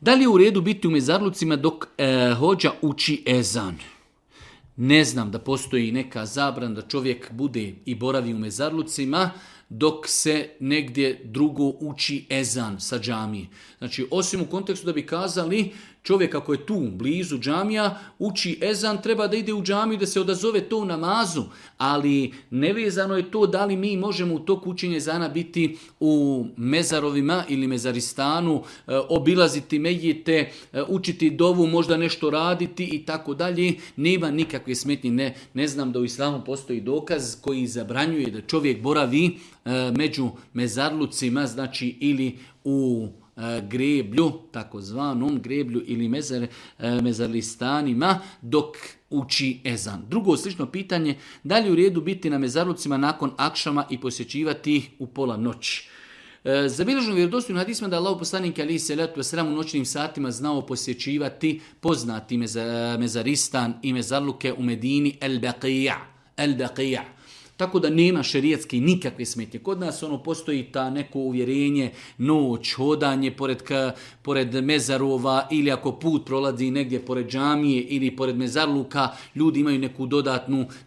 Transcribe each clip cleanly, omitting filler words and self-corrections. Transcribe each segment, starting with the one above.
Da li je u redu biti u mezarlucima dok hođa uči ezan? Ne znam da postoji neka zabrana da čovjek bude i boravi u mezarlucima dok se negdje drugo uči ezan sa džamije. Znači, osim u kontekstu da bi kazali čovjek ako je tu blizu džamija, uči ezan, treba da ide u džamiju da se odazove to u namazu, ali nevezano je to da li mi možemo u toku učenja ezana biti u mezarovima ili mezaristanu, obilaziti mejite, učiti dovu, možda nešto raditi i tako dalje. Nema nikakve smetnje. Ne znam da u islamu postoji dokaz koji zabranjuje da čovjek boravi među mezarlucima, znači ili u greblju, takozvanom greblju ili mezarlistanima dok uči ezan. Drugo slično pitanje, da li u redu biti na mezarlucima nakon akšama i posjećivati ih u pola noći? Zabilježeno vjerodostojnim hadisima da je Allahov poslanik alejhi selatu vesselam u noćnim satima znao posjećivati poznati mezaristan i mezarluke u Medini el-Baqija. Tako da nema šerijatski nikakve smetnje. Kod nas postoji ta neko uvjerenje, noć, hodanje pored mezarova ili ako put prolazi negdje pored džamije ili pored mezarluka, ljudi imaju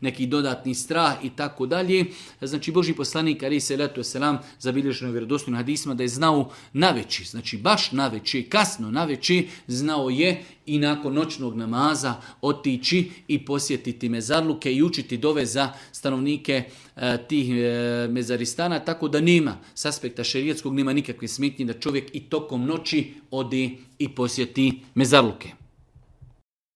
neki dodatni strah i tako dalje. Znači Božji poslanik alejhi selatu vesselam zabilježeno vjerodostojnim hadisima da je znao naveći, znači baš naveći, kasno naveći, znao je i nakon noćnog namaza otići i posjetiti mezarluke i učiti dove za stanovnike tih mezaristana, tako da nema s aspekta šerijatskog nema nikakve smetnje da čovjek i tokom noći ode i posjeti mezarluke.